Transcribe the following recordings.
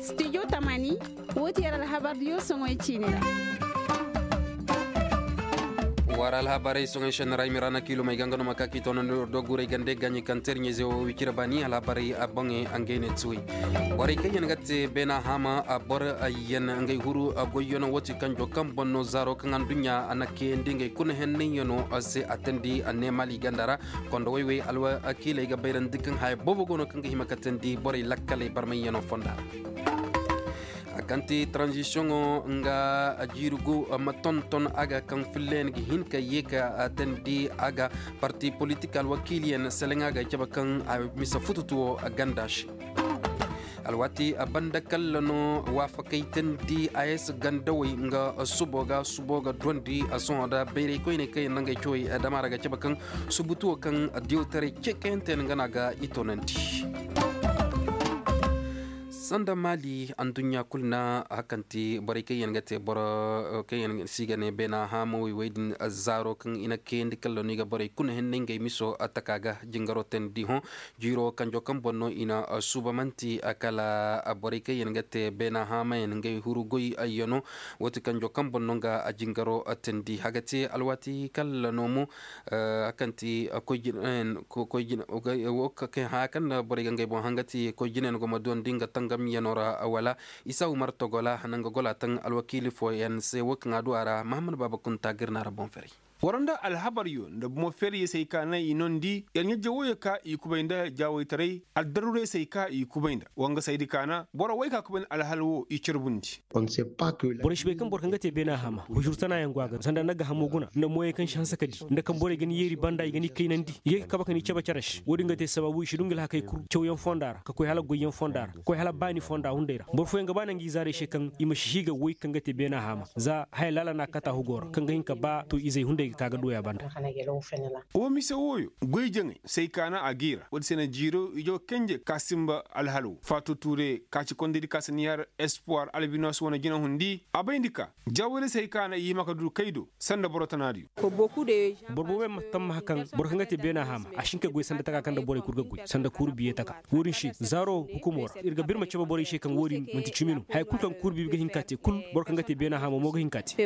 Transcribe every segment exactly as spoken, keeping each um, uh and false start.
Studio tamani, woo ti yer alhabar diyo soŋoy ciini ra. War alhabarey soŋoy šenni ra i ma ra na kiilumey ga nga no ma ka k'i toonandi war doguray gande gaɲi kaŋ terɲe ze wo wicira baani alhabarey a boŋey a ngey ne tuwey. Borey kaŋ yaŋ ga te beena haama a boro yaŋ ngey huru a goyyano wo ti kanjo kaŋ boŋ no zaaro kaŋ aduɲɲa a na kayandi ngey kuna henney yaŋo se a teendi a ne maali ganda ra. Kondo woy-woy alwakiiley ga bayrandi kaŋ haya boobo go no kaŋ ga hima ka teendi borey lakkaley barmayyaŋo fonda ra. A kaŋ ti tranzisiyoŋo nga jiiri gu ma tonton a ga kaŋ filleyaŋ ga hin ka ye ka teendi a ga parti politik alwakiiliyaŋ seleŋ a ga cabe kaŋ a misa fututuwo ganda se. Alwaati a banda kalla no waafakay teendi a ye si gandawey nga subo ga subo ga duwandi a sohõ da bayray koyney kaŋ yaŋ na ngey cawey dama ra ga cabe kaŋ subutuwo kaŋ diyawtaray ce kayante yaŋ nga no a ga i toonandi. Sanda maali aduɲɲa kulu na hakanti borey kaŋ yaŋ ga te boro kaŋ yaŋ si ga ne beena haamawey wey din zaaro kaŋ i na kayandi kalla no i ga borey kuna henney ngey miso taka ga jingaro teendi hõ. Jiiro kanjo kaŋ boŋ no i na suuba manti kala borey kaŋ yaŋ ga te beena haamayaŋ ngey huru goy ayyano. Wo ti kanjo kaŋ boŋ no nga jingaro teendi haga te alwaati kala no mo. Kaŋ ti koy jinayaŋ koy jina wo kaŋ haya kaŋ na borey ga ngey boŋ hanga ti koy jinayaŋ go ma duwandi nga tangamyano ra wala isa umar togola nanga gola taŋ alwakiili fooyaŋ se wo kaŋ a du a ra mahammad baaba kunta ga ir na ra boŋ ferey. War nda alhabaryo nda bomo feeriyaŋ se ay kaana i nondi yar ɲajja woyo ka i kubay nda jaawaytaray aldarurey se ay ka i kubay nda wa nga saydi kaana boro wey ka kubay nda alhal wo i carbundi. Borey si bay kaŋ boro kaŋ ga te beena hama hujur tana yaŋ go a ga sanda na ga hamo guna nda moyey kaŋ si hanse ka di nda kaŋ borey ga ni yeeri banda i ga ni kaynandi i ga kaba ka ni cabe care se wo- din ga te sabaabu i si du nga alhakey kul cawyaŋ fonda ra ka koy hala goyyaŋ fonda ra ka koy hala baani fonda hunday ra boro fooyaŋ ga ba naŋ ga i zaarey se kaŋ i ma si hiiga woy kaŋ ga te beena hama za haya laala na a kata hugo ra kaŋ ga hin ka ba to izey hunday ga ka ga duwey a banda. Wo mise wooyo goy jaŋay say kaana a g'i ra wo- din se na jiiro ijo kenje ka sinba alhal wo faatu tuure ka ci kondaydi ka si ni har espoir albinos wane jina hundi a bayndi ka jaawoyra say kaana i hima ka du kay do sanda boro tanaadiyo. Boro boobo yaŋ ma tammaha kaŋ boro kaŋ ga te beena haama a si hin ka goy sanda taka kaŋ nda borey kul ga goy sanda kuuru biye taka wo- din se zaaro hukumo ra ir ga ba ir ma cabe borey se kaŋ wo- din manti cimi no haya kul kaŋ kuuru bibi ga hin ka te kul boro kaŋ ga te beena haama mo ga hin ka te.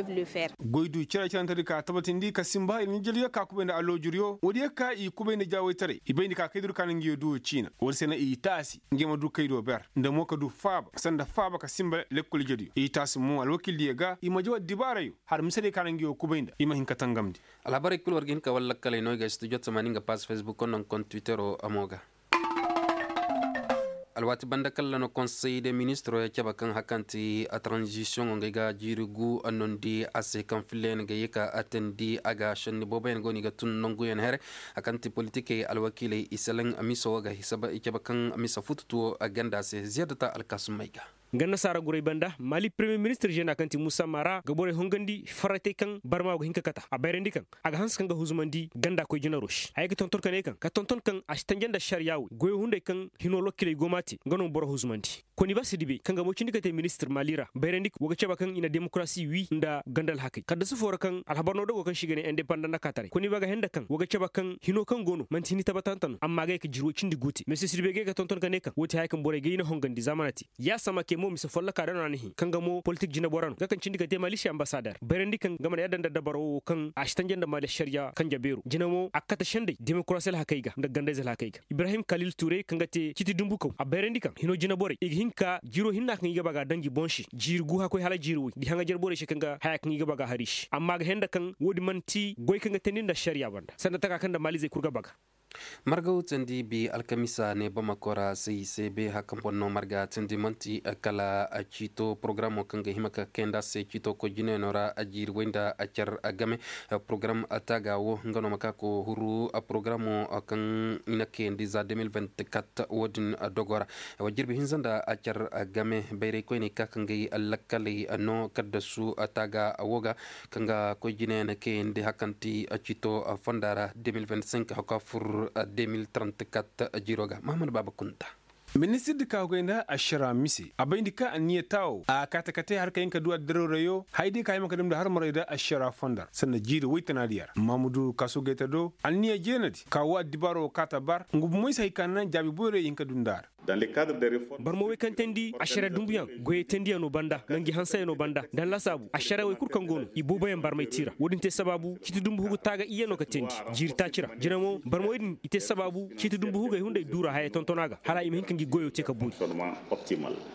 Goy du care carantedi ka tabatindi ka sinba ir ɲajjadiyo ka kubay nda alloojuryo wo- din yaŋ ka i kubay nda jaawaytaray i bayndi ka kaydur ka na nguyo duwo ciina wo- din se na i taasi ngey ma du kaydo ber nda mo ka du faaba sanda faaba ka sinba lekkol ijediyo i taasi mo alwakiildiyo ga i ma jaw addibaarayo har miseday ka na nguyo kubay nda i ma hin ka tangamndi. Alhabarey kul war ga hin ka walla lakkaley no i ga studio tamaani nga paas facebook konda nga konda twittero mo ga. Alwaati banda kalla no konsey de ministiro ya cabe kaŋ hakanti a tranzisiyoŋo nga ay ga jiiri gu a nondi a se kaŋ filla yaŋ ga ye ka a teendi a ga senni boobo yaŋ go no i ga tun nangu yaŋ here. Hakanti politikey alwakiiley i selaŋ miso wo ga i cabe kaŋ misa fututuwo a ganda se ziyadata alkaasum may ga. Nga nasaara guray banda maali premiyer ministir žena kaŋ ti musa mara ga borey hongandi farratey kaŋ barma go hin ka kata a bayrandi kaŋ a ga hanse kaŋ ga huzumandi ganda koy jinaro se haya ga tonton ka ne kaŋ ka tonton kaŋ a si tanja nda ašariya wey goyo hunday kaŋ hino lokiley go m'a te nga no boro huzumandi. Koni ba si dibey kaŋ ga moocindi ka te ministir maali ra bayrandi kaŋ wo ga cabe kaŋ i na demokarasi wi nda ganda alhakey kaddasu foo ra kaŋ alhabar no dogo kaŋ se i ga ne indepandant na kaataray koni ba ga henda kaŋ wo ga cabe kaŋ hino kaŋ go no man'ti hini tabatanta no amma a ga ye ka jirwo cindi gu te mese si dibey ga ye ka tonton ka ne kaŋ wo ti haya kaŋ borey ga i na hongandi zaamana te. Yaasama ke mo mise folloka da no a na hin kaŋ ga mo politik jinabora no nga kaŋ cindi ka te maali se ambasader bayrandi kaŋ nga mana yadda nda dabaro wo kaŋ a si tanja nda maali ašariya kanja beero jina mo a ga kate senday demokarasi alhakey ga nda gandayze alhakey ga ibrahim kalil ture kaŋ ga te citi dumbukaw a bayrandi kaŋ hino jinaborey i ga hin ka jiiro hinna kaŋ i ga ba ga a daŋ i boŋ se jiiri gu hakkoy hala jiiri woy nda i haŋajer borey se kaŋ ga haya kaŋ i ga ba ga a har i se amma a ga henda kaŋ wo- din man'ti goy kaŋ ga teendi nda ašariya banda sanda taka kaŋ nda maalizey kul ga ba ga. Marga wutandi bi alkamisa ne bamako ra se i se be haka boŋ no marga tindi manti kala ciito porogaraamo kaŋ ga hima ka kayandi a se ciito koy jinayano ra a jiiri way nda a car a game. Porogaram taaga wo nga no ma ka ko huru porogaramo kaŋ i na kayandi za deux mille vingt-quatre wo- din dogo ra. Jirbi hinza nda a car a game bayray koyney ka ka ngey lakkaley no kaddasu taaga wo ga kaŋ ga koy jine na kayandi hakanti ciito fonda ra deux mille vingt-cinq haka fur deux mille trente-quatre jiro ga mahamad baaba kunta. Ministirdi ka hogay nda ašara mise a bayndi ka anniya taawo a kaate kate har ka hin ka du addirarayoo hayadiyo ka hima ka damndi har maray nda ašara fondar sanda jiiri woy tanaadiya ra mamudu kaso gayta do anniya jeenadi ka woo addibaaroo kaata bar nga bumoy se hay ka naŋ jaabi boyray i hin ka du nda a ra. Barma wey kaŋ teendi ašara dumbuyaŋ goyey teendiyanoo banda nda ngi hanseyanoo banda nda laasaabu ašara wey kul kaŋ go no i booboyaŋ barmay ti ra wo-din te sabaabu ciiti dumbu hugu taaga iyyanoo ka teendi jiiri taaci ra jina mo barma wey din i te sabaabu ciiti dumbu hugey hunday duura haya tontonaa ga hala i ma hin ka ngi goyoo te ka boori.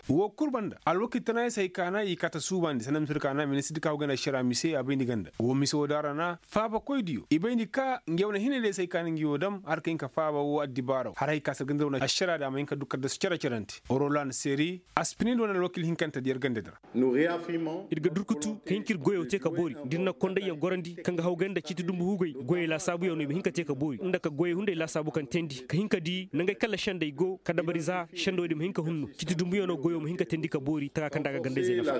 Woo kul banda alwakil tanaayey se hay ka na i kaata suubandi sanda mise woo da a ra na faabakoydiyo i bayndi ka ngi wane hinay day se hay ka na ngi woo dam har ka hin ka faaba woo addibaaraw har hay ka se ganda wane ašaraadi a ma hin ka du kaddasu cere-cerante orolan seri aspinid wane alwakil hinkante da yer gandadi ra. Ir ga durkutu ka hin ka ir goyoo te ka boori da ir na kondayyaŋ gorandi kaŋ ga hawgay nda ciiti dumbu hugey goyey laasaabuyaŋ no i ma hin ka te ka boori nda ka goyey hunday laasaabu kaŋ teendi ka hin ka di nangey kaŋ ra sendey go ka dabari za sendey wo-din ma hin ka hunno ciiti dumbuyaŋo goyoo ma hin ka teendi ka boori tagaa kaŋ nda a ga gandayzey nafa.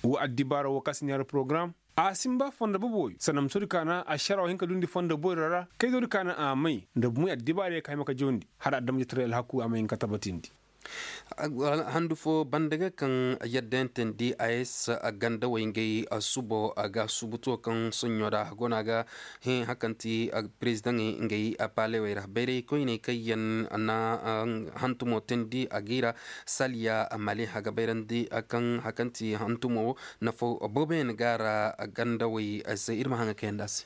Woo addibaara woo kaŋ se ni har porogaram a sinba fondo boboyo sanda ma soodi ka na ašara woo hin ka duundi fondo boyro ra kayzoodi ka na a may nda bumey addibaarey ka hima ka jawndi hala adamajetaray alhaku a ma hin ka tabatindi. Handu foo banda ga kaŋ yadda yaŋ teendi a ye se gandawey ngey suubo ga suubutuwo kaŋ soɲɲo ra go no a ga hẽ hari kaŋ ti perezidaŋey ngey paalewey ra bayray koyney kaŋ yaŋ na hantumo teendi a g'i ra saliya mali a ga bayrandi kaŋ hari kaŋ ti hantumo wo nafa booboyaŋ ga a ra gandawey se ir ma haŋa kayandi a se.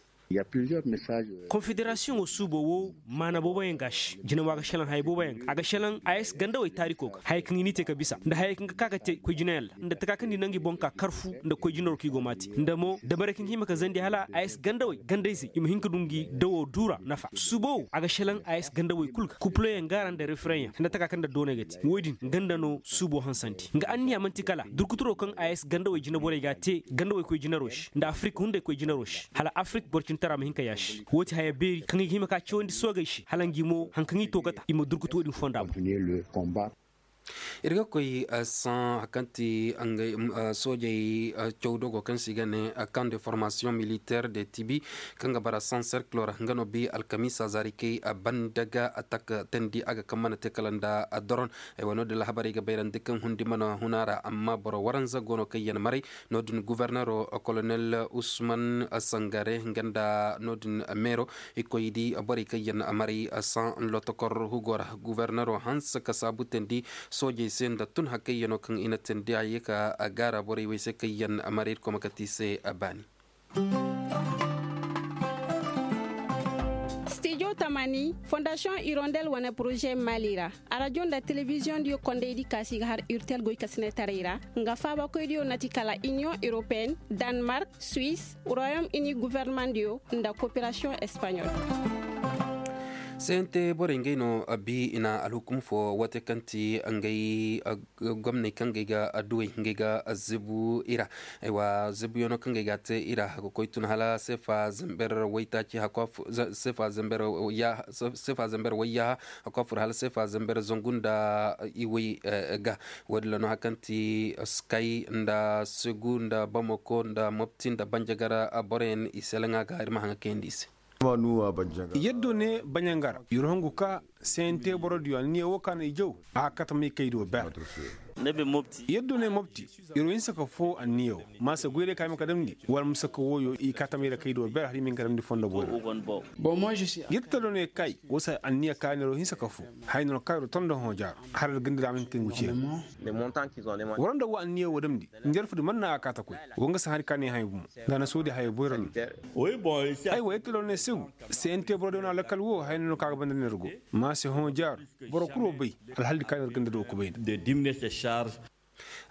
Konfederasiyoŋo suubo wo maana booboyaŋ ga a se jina mo a ga šelaŋ haya booboyaŋ ga a ga šelaŋ a ye se gandawey taariko ga hayey kaŋ i n'i te ka bisa nda hayey kaŋ ga ka ga te koy jinayaŋ ra nda taka kaŋ di naŋ ngi boŋ ka karfu nda koy jinaro kaŋ i go m'a te nda mo dabarey kaŋ ga hima ka zandi hala a ye se gandawey gandayzey i ma hin ka du ngi dawoo duura nafa suubo wo a ga šelaŋ a ye se gandawey kul ga kupuloyaŋ ga a ra nda referenyaŋ nda taka kaŋ nda dooney ga te woy din ganda no suubo hansandi nga anniya man'ti kala durkuturoo kaŋ a ye se gandawey jinaborey ga a te gandawey koy jinaroo se nda afirik hunday koy jinaroo se hala afirik boro cintara ma hin ka yaasi woo ti haya beeri kaŋ i ga hima ka cawandi soogey se hala ngi mo hari kaŋ i tookata i ma durkutu woo din fonda boŋ. Ir ga koy saŋ hari kaŋ ti soojey cawdogo kaŋ se i ga ne kan de formasiyoŋ militeer de tibi kaŋ ga bara san serkiloo ra nga no bi alkamiisa zaarikey banda ga a taka teendi a ga kaŋ mana te kala nda doron. Ay wa no- din alhabarey ga bayrandi kaŋ hundi mana hun a ra amma boro waranza go no kaŋ yaŋ maray no- din guforneroo kolonel usman sangare nga nda no- din meero i koy di borey kaŋ yaŋ maray san lotokor hugo ra guforneroo hanse ka saabu teendi soojey se nda tun hakayyanoo kaŋ i na teendi a ye ka gaara borey wey se kaŋ yaŋ maray irkoy ma kate i se baani. Stijo tamani fondasiyoŋ irondel wane poroze mali ra arajo nda telebiziyoŋ diyo kondey di kaasi ga har urtel goy kasinetaray ra nga faabakoy diyo na ti kala iniyoŋ europeyen, danmark, suwis, royom ini gofornamaŋ diyo nda koperasiyoŋ espaɲol. Sente borey ngey no bi i na alhukum fo wate kaŋ ti ngey gomney kaŋ ga ay ga duwey nga ay ga zibu i ra. Ay wa zibuyaŋo kaŋ ga ay ga a te i ra a ga koy tun hala seefa zember waytaaci hakku a fur hala seefa zember zangu nda iway ga. Wo- din ra no hari kaŋ ti skay nda segu nda bamako nda mopti nda banjagara boroyaŋ i selaŋa ga ir ma haŋa kayandi i se. Yaddo ne baɲangara ir hongu ka sente borodiyo anniya wo ka no i jaw a ga kate may kay do ber. Yaddo ne mopti ir wo hinsa ka foo anniya wo ma se goyray ka hima ka damndi wala ma se ka wooyo i kate may ra kay do ber har i ma hin ka damndi fondo boyro. Yaddo ne kay wo se anniya ka no ir wo hinsa ka foo haya no ir wo ka ir wo tondo hõ jaaro har ir ganda da a ma hin ka kay ngu ceeri. War nda wo anniya wo damndi njarfudi man na a kaata koy. Wo nga si hari ka ne haya bumo nda a na soodi haya boyro no. Aywa yadda lor ne sigu se ente boro de wane alakal wo haya no ka ga banda ne ir go. Ma se hõ jaaru boro kul wo bay alhaldi ka ne ir ganda do kubay nda.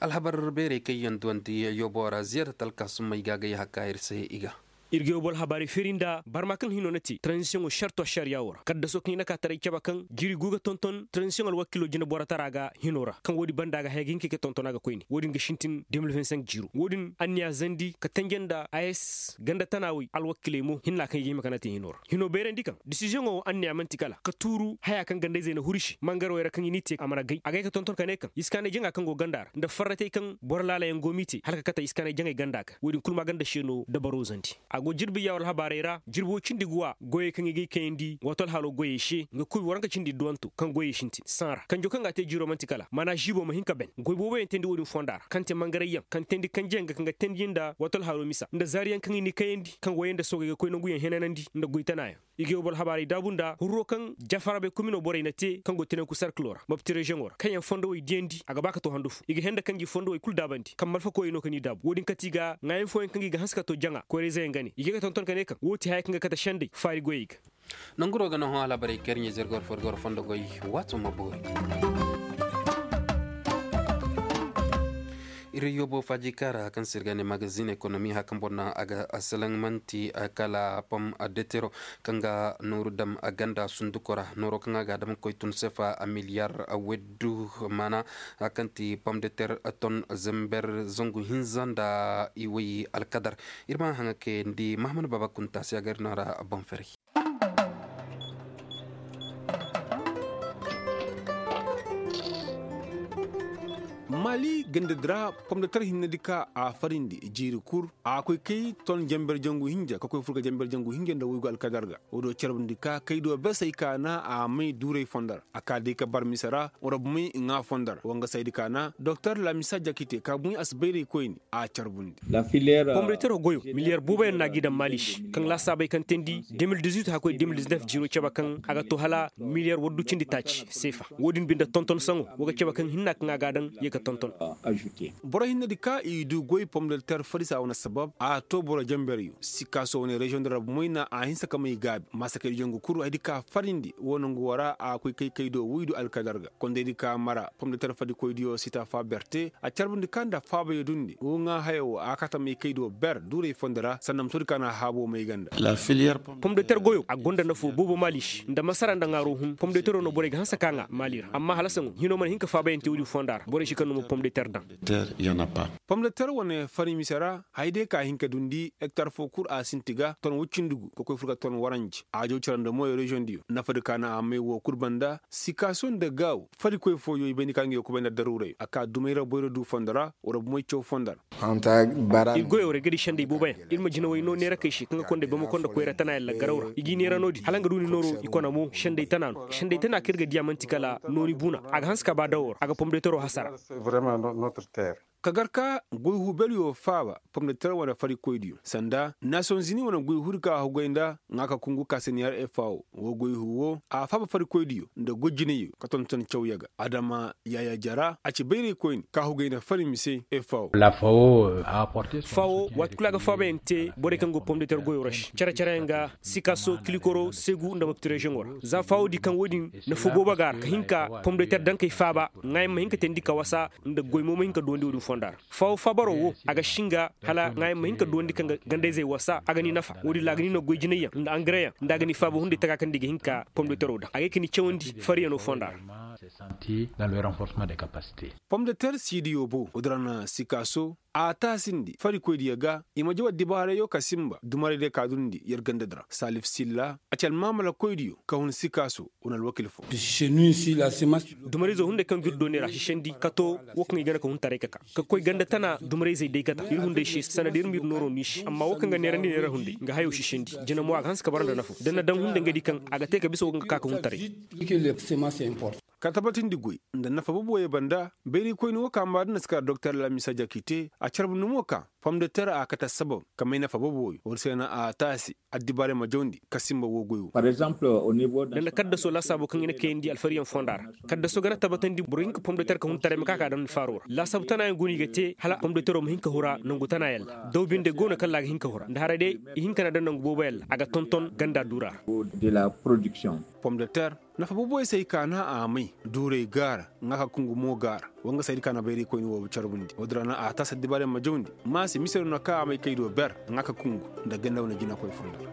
Alhabar beerey kaŋ yaŋ duwandi yobo ra ziyaada talka summay ga gay hakka ir se i ga. Ir ga yobo alhabaari feeri nda barma kaŋ hino na te tranzisiyoŋo sarto ašariya wo ra kaddaso kaŋ i na ka taray cabe kaŋ jiri gu ga tonton tranzisiyoŋ alwakiilo jinaborotara ga hino ra kaŋ wo- din banda ga haya ga hin ka i ga tonton a ga koyne wo- din ga sintin de mil vingt cinq jiiro wo- din anniya zandi ka tanje nda a s ganda tana wey alwakiley mo hinna kaŋ i ga hima ka na te hino ra hino bayrandi kaŋ disiziyoŋo wo anniya man'ti kala ka tuuru haya kaŋ gandayzey na huru i se mangarwey ra kaŋ i n'i te a mana gay a gay ka tonton ka ne kaŋ iskaanay jaŋa kaŋ go ganda ra nda farratey kaŋ boro laalayaŋ go m'i te hala ka kate iskaanay jaŋay ganda ga wo- din kul ma ganda se no dabaro zandi. A go jirbi ya wala habaarey ra jirbi woy cindi ga wa goyey kaŋ i gay kayandi wato alhaalo goyey se nga kuubi waranka cindi duwanto kaŋ goyey sintin saŋ ra kanjo kaŋ ga a te jiiro man'ti kala maana žiibo ma hin ka ben goy booboyaŋ teendi wo-din fonda ra kaŋ te mangarayyaŋ kaŋ teendi kanjeyaŋ ga kaŋ ga teendiyaŋ nda wato alhaalo misa nda zaariyaŋ kaŋ i ni kayandi kaŋ goyey nda soogey ga koy nanguyaŋ henanandi nda goy tanayaŋ i ga yow boro habaarey daabu nda hurro kaŋ jafarabey komino borey na te kaŋ go tenenku sarkilo ra mopti reziyoŋo ra kaŋ yaŋ fondowey diyandi a ga ba ka to handu fo i ga henda kaŋ gi fondowey kulu daabandi kaŋ malfakoyey no ka ni daabu wo-din kate i ga ŋaayaŋ fooyaŋ kaŋ gi ga hanse ka to jaŋa koyrezeyaŋ ga ne i ga ka tonton ka ne kaŋ wo ti haya kaŋ ga kate sendey faari goyey ga nanguro ga no hõ alhabarey kaŋ ir ɲa zirgor forgor fondo goy waato ma boori ir yoobo faaji kaara kaŋ se ir ga ne magazin ekonomi haya kaŋ boro naŋ a ga salaŋ man'ti kala pom detero kaŋ ga nooru dam ganda sunduko ra nooro kaŋ a ga a dam ga koy tun sefa miliyar weddu maana haya kaŋ ti pom deter ton zember zangu hinza nda iway alkadar ir ma haŋa kayandi mahamad baaba kunta se a ga ir no ra boŋ ferey maali gandadi ra pomdatar hinnedi ka a farindi jiiri kul a koy kay ton jamber jangu hinja ka koy fur ga jamber jangu hinja nda waygu alkadar ga wo do carbundi ka kay do besey ka na a may duuray fondo ra a ka day ka bar mise ra wara bumey ŋaa fondo ra wangasaydi ka na doktor lamisa jakite ka bumey a si bayraykoyni a carbundi pomdatar goyo miliyar booboyaŋ no a g'i daŋ maali se kaŋ laasaabey kaŋ teendi de mil dizuit haya koy de mil diznef jiiro cabe kaŋ a ga to hala miliyar waddu cindi taaci seefa wo-din binde tonton saŋo wo ga cabe kaŋ hinna kaŋ a ga a daŋ ye ka tonton boro hinnedi ka i du goy pomdatar farisa wane sabab a to boro jamberyo sikaaso wane reziyoŋ di ra bumey na a hinsa ka may gaabi maasakaydi jangu kul haydi ka farindi wo nangu wo ra a koy kay kaydo waydu alkadar ga kondaydi ka mara pomdatar fadikoydiyo sita fa berte a carbundi ka nda faabayo dundi wo ŋaa hayo wo a kata may kaydo ber duuray fondo ra sanda musoodi ka na haabo may ganda pomdatar goyo a gonda nafo boobo maali se nda masara nda ŋaaro hun pomdataro no borey ga hanse ka ŋaa maali ra amma hala saŋo hino mana hin ka faabayante woodi fonda ra borey si kaŋ no ma pomdatar daŋ pomdatar wane fari mise ra haya day ka hin ka dundi hektar fo kul a sinti ga ton woy cindi gu ka koy fur ga ton waranji aajo cira nda moyo reziyoŋ diyo nafadi ka na a may wo kul banda sikaaso nda gaawo fadikoy fooyo i bayndi ka nga yo kubay nda daruuray a ka dumay ra boyro du fondo ra wara bumey caw fondo ra ir goyo ra ir ga di sendey booboyaŋ ir ma jinawey no neerakey se kaŋ ga konda bamako nda koyra tana yalla garaw ra i g'i neera no-din hala nga du ni nooro i kona mo sendey tana no sendey tana kaŋ ir ga diya man'ti kala nooni buuna a ga hanse ka ba dawo ra a ga pomdetero hasara ka gar ka goy huu belyo faaba pomdeter wane farikoydiyo sanda nasiyonzini wane goy huu di ka a hugay nda ŋaaka kungu ka se niyar efawo wo goy huu wo a faaba farikoydiyo nda goy jinayo ka tonton cawya ga adama yaya jara a ci bayraykoyni ka hugay nda fari mise efawo fawo waati kulu a ga faabayaŋ te borey kaŋ go pomdeter goyo ra se care-careyaŋ ga sikaso kilikoro segu nda mopti reziyoŋo ra za fawo di kaŋ wo-din nafu boobo ga a ra ka hin ka pomdeter dankey faaba ŋaayaŋ ma hin ka teendi ka wasa nda goy mo ma hin ka duwandi wo-din fonda ra fawo faabaro wo a ga singa hala ŋaayaŋ ma hin ka duwandi kaŋ ga gandayzey wasa a ga ni nafa wo-din ra a ga ni no goy jinayyaŋ nda angareyaŋ nda a ga ni faaba hunday taka kaŋ nda i ga hin ka pomdetero daŋ a ga ay ka ni cawandi fariyano fonda ra pomdeter siidiyo bo wo-din ra na sikaso a taasindi farikoydiyo ga i ma jaw addibaarayyo ka sinba dumaraydiyo ka dundi yer gandadi ra salif silla a ci almaamalakoydiyo ka hun sikaaso wane alwakil fo dumarayzo hunday kaŋ ga ir dooney ra sisandi ka to wo kaŋ i gana ka hun taray ka ka ka koy ganda tana dumarayzey day kata ir hunday se sanda da ir ma ir nooro no i se amma wo kaŋ ga neerandi neera hunday nga hayo sisandi jina mo a ga hanse ka bara nda nafa da ni na daŋ hunday nga di kaŋ a ga te ka bisa wo kaŋ ga ka ka hun taray ka tabatindi goy nda nafa boobo ye banda bayraykoyni wo ka maadina si kara doktor lamisa jakite a carbundi mo ka pomdeter a kate assabab ka may nafa boobo ye wo-din se na a taasi addibaarey ma jawndi ka sinba wo goy wo da nda kaddaso laasaabo kaŋ i na kayandi alfariyaŋ fonda ra kaddaso ga na tabatandi boro hinka pomdeter ka hun taray ma ka ka daŋ faaro ra laasaabo tanayaŋ go no i ga te hala pomdetero ma hin ka hura nangu tanayaŋ ra daw binde go no kaŋ ra a ga hin ka hura nda haray day i hin ka na daŋ nangu booboyaŋ ra a ga tonton ganda duura ra pomdeter nafa booboyaŋ se ay ka na a may duuray gaara ŋaaka kungu mo gaara wangasaydi ka na bayraykoyni wo carbundi wo-din ra na a taasi addibaarey ma jawndi maasi mise no na ka a may kaydo ber ŋaaka kungu nda ganda wane jinakoy fonda ra